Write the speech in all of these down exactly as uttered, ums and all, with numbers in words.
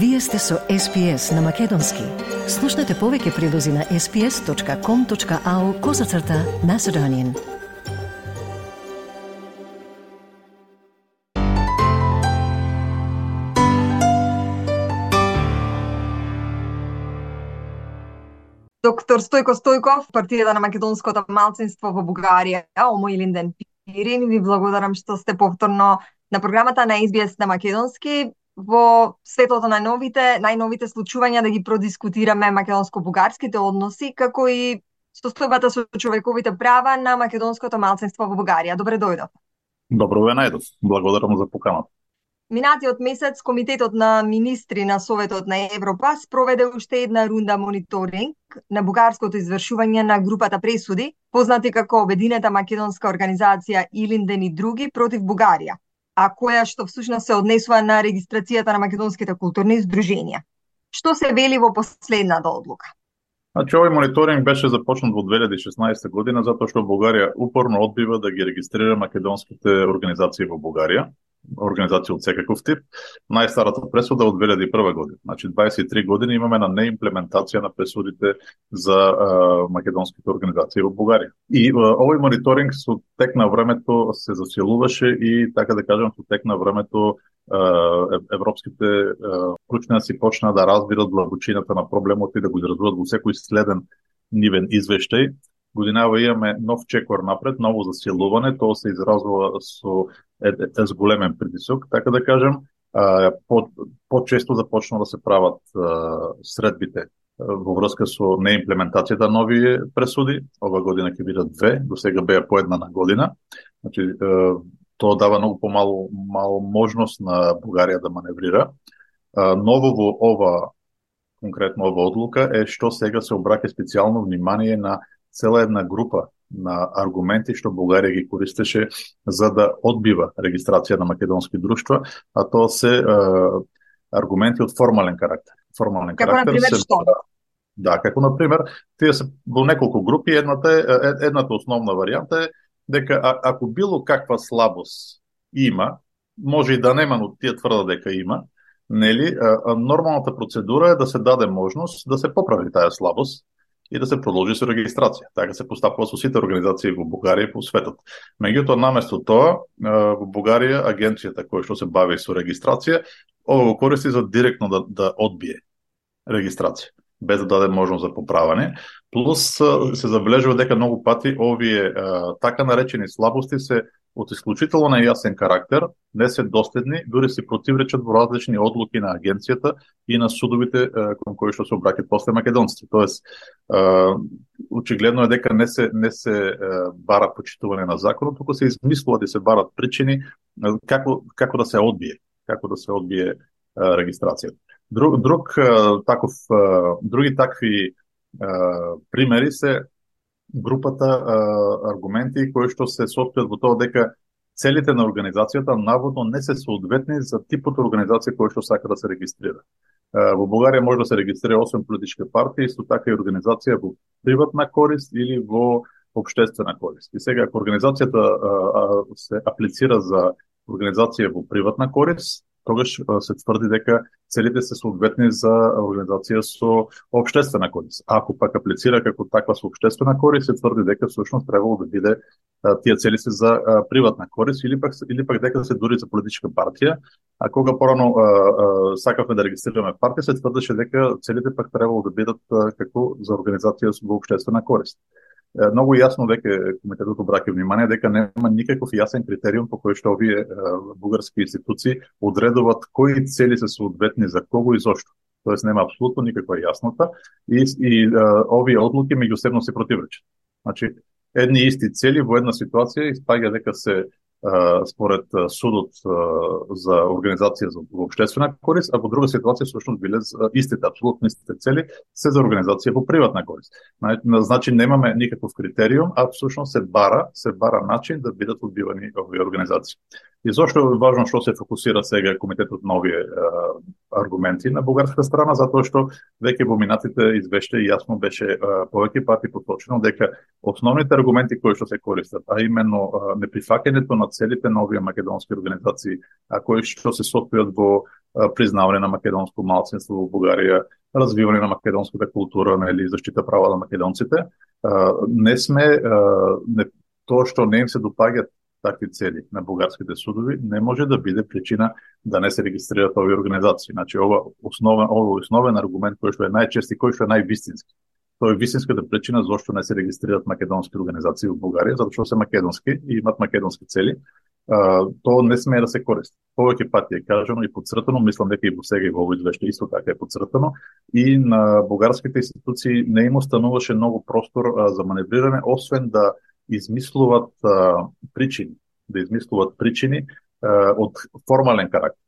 Вие сте со Ес Пи Ес на Македонски. Слушнете повеќе прилози на ес пи ес точка ком точка ау козацрта Macedonian. Доктор Стојко Стојков, партијата на македонското малцинство во Бугарија, Омо Илинден Пирин, ви благодарам што сте повторно на програмата на Ес Би Ес на Македонски во светлото на новите, најновите случувања да ги продискутираме македонско-бугарските односи, како и состојбата со човековите права на македонското малцинство во Бугарија. Добре дојдов. Добро ве најдов. Благодарам за поканата. Минатиот месец Комитетот на министри на Советот на Европа спроведе уште една рунда мониторинг на бугарското извршување на групата пресуди, познати како Обединета македонска организација Илинден и други против Бугарија, а која што всушност се однесува на регистрацијата на македонските културни здруженија. Што се вели во последната одлука? Значи, овој мониторинг беше започнат во две илјади и шеснаесета година, затоа што Бугарија упорно одбива да ги регистрира македонските организации во Бугарија, организации од секаков тип. Најстарата пресуда од две илјади и прва година. Значи, дваесет и три години имаме на неимплементација на пресудите за а, македонските организации во Бугарија. И а, овој мониторинг со тек на времето се засилуваше и, така да кажам, со тек на времето европските ученици почнаа да разбират длабочината на проблемот и да го изразуваат во секој следен нивен извештај. Годинава имаме нов чекор напред, ново засилување, тоа се изразува со ес големен притисок, така да кажем. По, по-често започна да се прават средбите во врска со неимплементацијата на нови пресуди. Ова година ќе бидат две, до сега беа по една на година. Значи, тоа дава многу помалу мало можност на Бугарија да маневрира. Ново во ова, конкретно ова одлука, е што сега се обраќа специјално внимание на цела една група на аргументи што Бугарија ги користеше за да одбива регистрација на македонски друштва, а тоа се е, аргументи од формален карактер. Формален како карактер например се... што? Да, како например, тие се во неколку групи, едната е едната основна варијанта е дека а, ако било каква слабост има, може и да нема, но тие тврдат дека има, нели, а, а, нормалната процедура е да се даде можност да се поправи таа слабост и да се продолжи со регистрација. Така се постапува со сите организации во Бугарија и по светот. Меѓутоа, наместо тоа, во Бугарија агенцијата која што се бави со регистрација, ова го користи за директно да, да одбие регистрација, без да даде можност за поправање. Плюс се забележува дека многу пати овие така наречени слабости се од исклучително нејасен карактер, не се доследни, дури се противречат во различни одлуки на агенцијата и на судовите кон кои што се обраќаат после македонците. Тоест, очигледно е дека не се не се бара почитување на законот, туку се измислуваат и се барат причини како како да се одбие, како да се одбие регистрацијата. Друг друг таков други такви примери се групата а, аргументи кои што се состојат во тоа дека целите на организацијата наводно не се соодветни за типот организација која што сака да се регистрира. А, во Бугарија може да се регистрира осем политички партии, исто така и организација во приватна корист или во општествена корист. И сега, ако организацијата а, а, се аплицира за организација во приватна корист, тогаш се тврди дека целите се соодветни за организација со општествена корист. А ако пак аплицира како таква со општествена корист, се тврди дека всушност требало да биде тие цели се за приватна корист или пак или пак дека се дури за политичка партија. А кога порано сакавме да регистрираме партија, се тврдеше дека целите пак требало да бидат како за организација во општествена корист. Многу јасно дека комитетот обраќа внимание дека нема никаков јасен критериум по кој што овие бугарски институции одредуваат кои цели се соодветни за кого и зошто. Тоест нема апсолутно никаква јаснота и, и а, овие одлуки меѓусебно се противречат. Значи, едни исти цели во една ситуација испаѓа дека се а, според судот а, за организација за општествена корист, а во друга ситуација всушност биле истите, апсолутно истите цели се за организација во приватна корист. Значи немаме никаков критериум, а всушност се бара, се бара начин да бидат одбивани овие организации. И зошто е важно што се фокусира сега комитетот на овие аргументи на бугарска страна, затоа што веќе во минатите извеште јасно беше повеќе пати поточено дека основните аргументи кои што се користат, а именно неприфаќањето на целите на овие македонски организации, а кои што се состојат во признавање на македонско малцинство во Бугарија, развивање на македонската култура, нели, заштита права на македонците, не сме не, тоа што не им се допаѓаат такви цели на бугарските судови не може да биде причина да не се регистрираат овие организации. Значи ова основен ова основен аргумент кој што е најчести, кој што е највистински. Тоа е вистинската причина зошто не се регистрираат македонски организации во Бугарија, затоа што се македонски и имаат македонски цели. Uh, тоа не смее да се користи. Повеќе пати е кажано и подцртано, мислам дека и во сега и во овој извеште исто така е подцртано, и на бугарските институции не им остануваше многу простор uh, за маневрирање, освен да измислуваат uh, причини, да измислуваат причини uh, од формален карактер.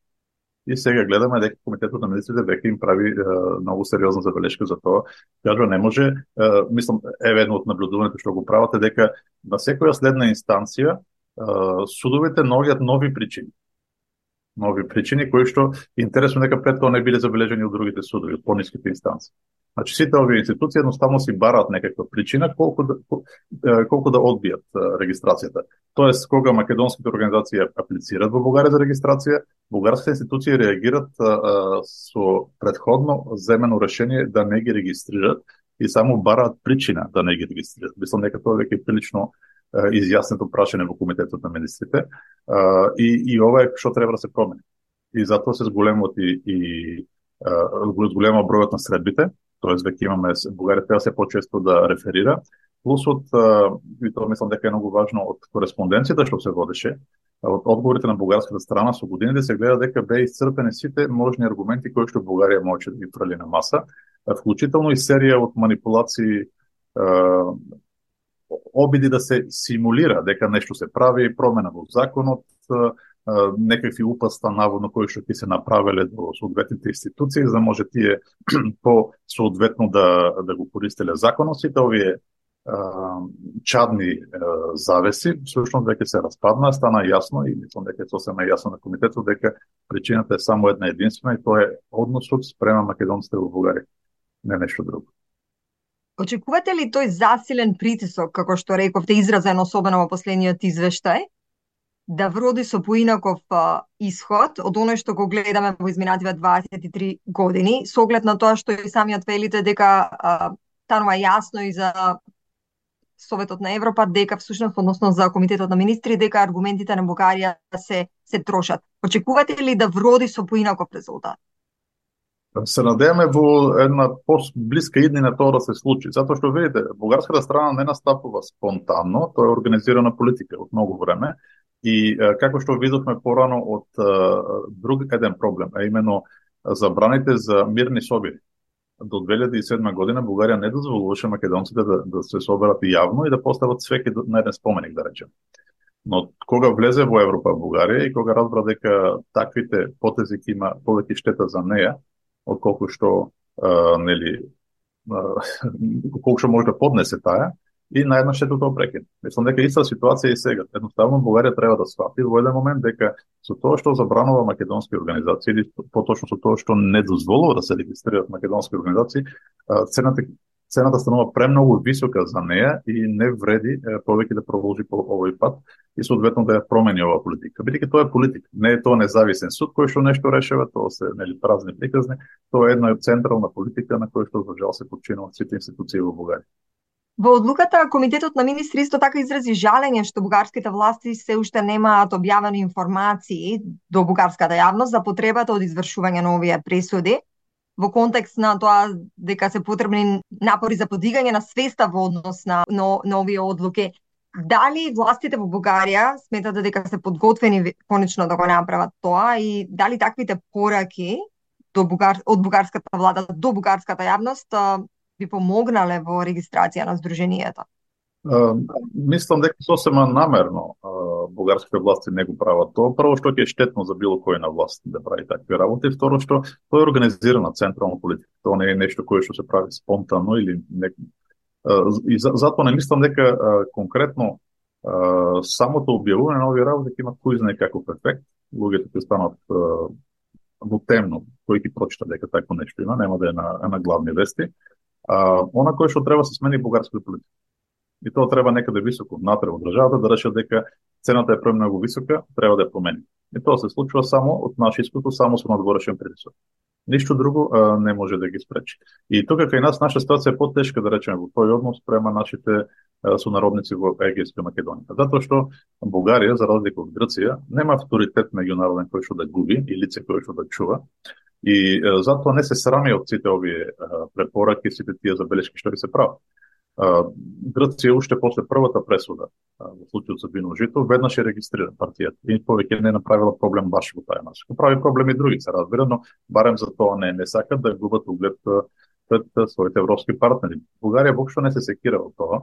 И сега гледаме дека комитетот на министрите веќе им прави uh, многу сериозна забелешка за тоа. Кажува, не може, uh, мислам, еве едно од наблюдувањето што го прават е дека на секоја следна инстанција судовите наоѓаат нови причини. Нови причини кои што интересно дека пред тоа не биле забележани од другите судови, од пониските инстанции. Значи сите овие институции едноставно си бараат некаква причина колку да колку да одбијат регистрацијата. Тоест кога македонските организации аплицираат во Бугарија за регистрација, бугарските институции реагираат а, со предходно земено решение да не ги регистрираат и само бараат причина да не ги регистрираат. Мислам дека тоа веќе е прилично изјаснето прашање во комитетот на министрите, и, и ова е што треба да се промени. И затоа се зголемот и, и зголема бројот на средбите, тоест веќе имаме, Бугарија треба се почесто да реферира, плюс од, и тоа мислам дека е многу важно, од кореспонденцијата што се водеше, од одговорите на бугарската страна со годините се гледа дека беа исцрпени сите можни аргументи кои што Бугарија можеше да ги фрли на маса, вклучително и серија од манипулации, обиди да се симулира дека нешто се прави, промена во законот, некакви упаста наводно кои што ќе се направеле до соодветните институции, за да може тие по соодветно да да го користеле законот. Сите овие чадни завеси всушност веќе се распадна, стана јасно и мислам дека е сосема јасно на комитетот дека причината е само една единствена и тоа е односот спрема македонците во Бугарија, не нешто друго. Очекувате ли тој засилен притисок, како што рековте, изразен особено во последниот извештај, да вроди со поинаков а, исход од оној што го гледаме во изминативе дваесет и три години, со оглед на тоа што и самиот велите дека а, станува јасно и за Советот на Европа дека всушност, односно за Комитетот на министри, дека аргументите на Бугарија се се трошат. Очекувате ли да вроди со поинаков резултат? Се надеваме во една по-блиска иднина тоа да се случи, затоа што видите, бугарската страна не настапува спонтанно, тоа е организирана политика од многу време и како што видовме порано од друг еден проблем, а именно забраните за мирни собири. До две илјади и седма година Бугарија не дозволуваше македонците да, да се соберат јавно и да постават свеќе на еден споменик, да речем. Но кога влезе во Европа Бугарија и кога разбра дека таквите потези ќе има повеќе штета за неја, отколку што а, нели а, колку што може да поднесе таа, и наеднаш се тоа прекина. Мислам дека иста ситуација и сега. Едноставно Бугарија треба да свати во еден момент дека со тоа што забранува македонски организации или поточно со тоа што не дозволува да се регистрираат македонски организации, цената цената станува премногу висока за неја и не вреди повеќе да продолжи по овој пат и соодветно да ја промени оваа политика. Бидејќи тоа е политика, не е тоа независен суд кој што нешто решава, тоа се нели празни приказни, тоа е една централна политика на која што за жал се подчинуваат сите институции во Бугарија. Во одлуката Комитетот на министри исто така изрази жалење што бугарските власти се уште немаат објавени информации до бугарската јавност за потребата од извршување на овие пресуди, во контекст на тоа дека се потребни напори за подигање на свеста во однос на, на, на овие одлуки. Дали властите во Бугарија сметат дека се подготвени конечно да го направат тоа и дали таквите пораки до бугар, од бугарската влада до бугарската јавност би помогнале во регистрација на здруженијата? Uh, мислам дека сосема намерно uh, бугарските власти не го прават тоа. Прво што ќе е штетно за било кој на власт да прави такви работи, второ што тоа е организирана централна политика. Тоа не е нешто кое што се прави спонтанно или не... Uh, и за, затоа не мислам дека uh, конкретно uh, самото објавување на овие работи ќе има кој знае каков ефект. Луѓето ќе станат во темно, кој ќе прочита дека такво нешто има, нема да е на, на главни вести. А, она кој што треба се смени бугарската политика. И тоа треба некаде високо внатре во државата да решат дека цената е премногу висока, треба да ја промени. И тоа се случува само од наше искуство, само со надворешен притисок. Ништо друго а, не може да ги спречи. И тука кај нас наша ситуација е потешка, да речеме, во тој однос према нашите а, сонародници во Егејска Македонија. Затоа што Бугарија, за разлика од Грција, нема авторитет меѓународен кој што да губи и лице кој што да чува. И а, затоа не се срами од сите овие а, препораки, сите тие забелешки што ги се прават. Грција уште после првата пресуда во случајот со вино жито веднаш ја регистрира партијата и повеќе не направила проблем баш во таја насока. Прави проблеми други, се разбира, но барем за тоа не не сакат да губат углед пред своите европски партнери. Бугарија воопшто не се секира од тоа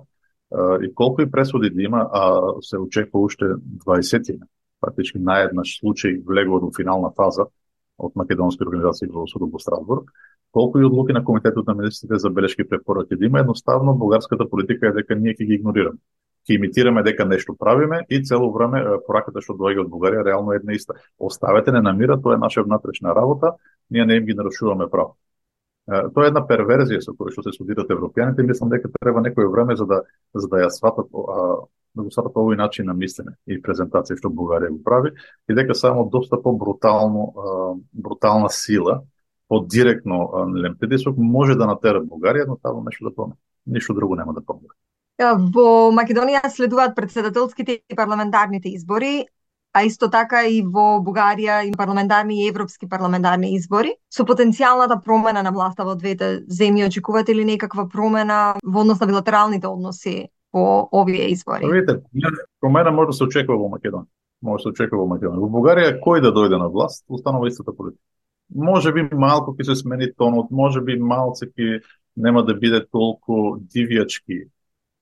и колку и пресуди да има, а се очекува уште дваесет, практички наеднаш случај влегува до финална фаза од македонски организации во судот во Страсбург. Колку и одлуки на комитетот на министрите за белешки препораки да има, едноставно бугарската политика е дека ние ќе ги игнорираме. Ќе имитираме дека нешто правиме и цело време пораката што доаѓа од Бугарија реално е една иста. Оставете не на мира, тоа е наша внатрешна работа, ние не им ги нарушуваме право. Тоа е една перверзија со која што се судират европјаните, мислам дека треба некое време за да за да ја сватат да го сватат овој начин на мислене и презентација што Бугарија го прави и дека само доста по-брутално брутална сила под директно притисок може да натера Бугарија едноставно нешто да промени. Ништо друго нема да промени. Во Македонија следуваат претседателските и парламентарните избори, а исто така и во Бугарија и парламентарни и европски парламентарни избори. Со потенцијалната промена на власта во двете земји, очекувате ли некаква промена во однос на билатералните односи по овие избори? Видите, промена може да се очекува во Македонија. Може да се очекува во Македонија. Во Бугарија кој да дојде на власт, останува истата политика. Може би малку ќе се смени тонот, може би малце ќе нема да биде толку дивјачки,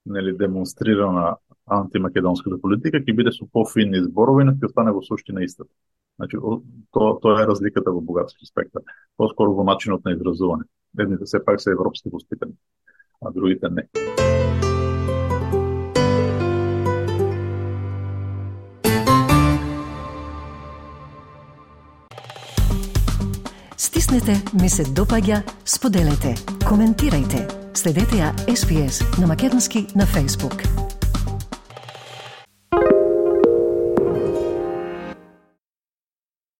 нели, демонстрирана антимакедонската политика, ќе биде со пофини зборови, но ќе остане во суштина истата. Значи, тоа тоа е разликата во бугарски спектар, поскоро во начинот на изразување. Едните сепак се европски воспитани, а другите не. Стиснете, ми се допаѓа, споделете, коментирајте. Следете ја Ес Би Ес на македонски на Facebook.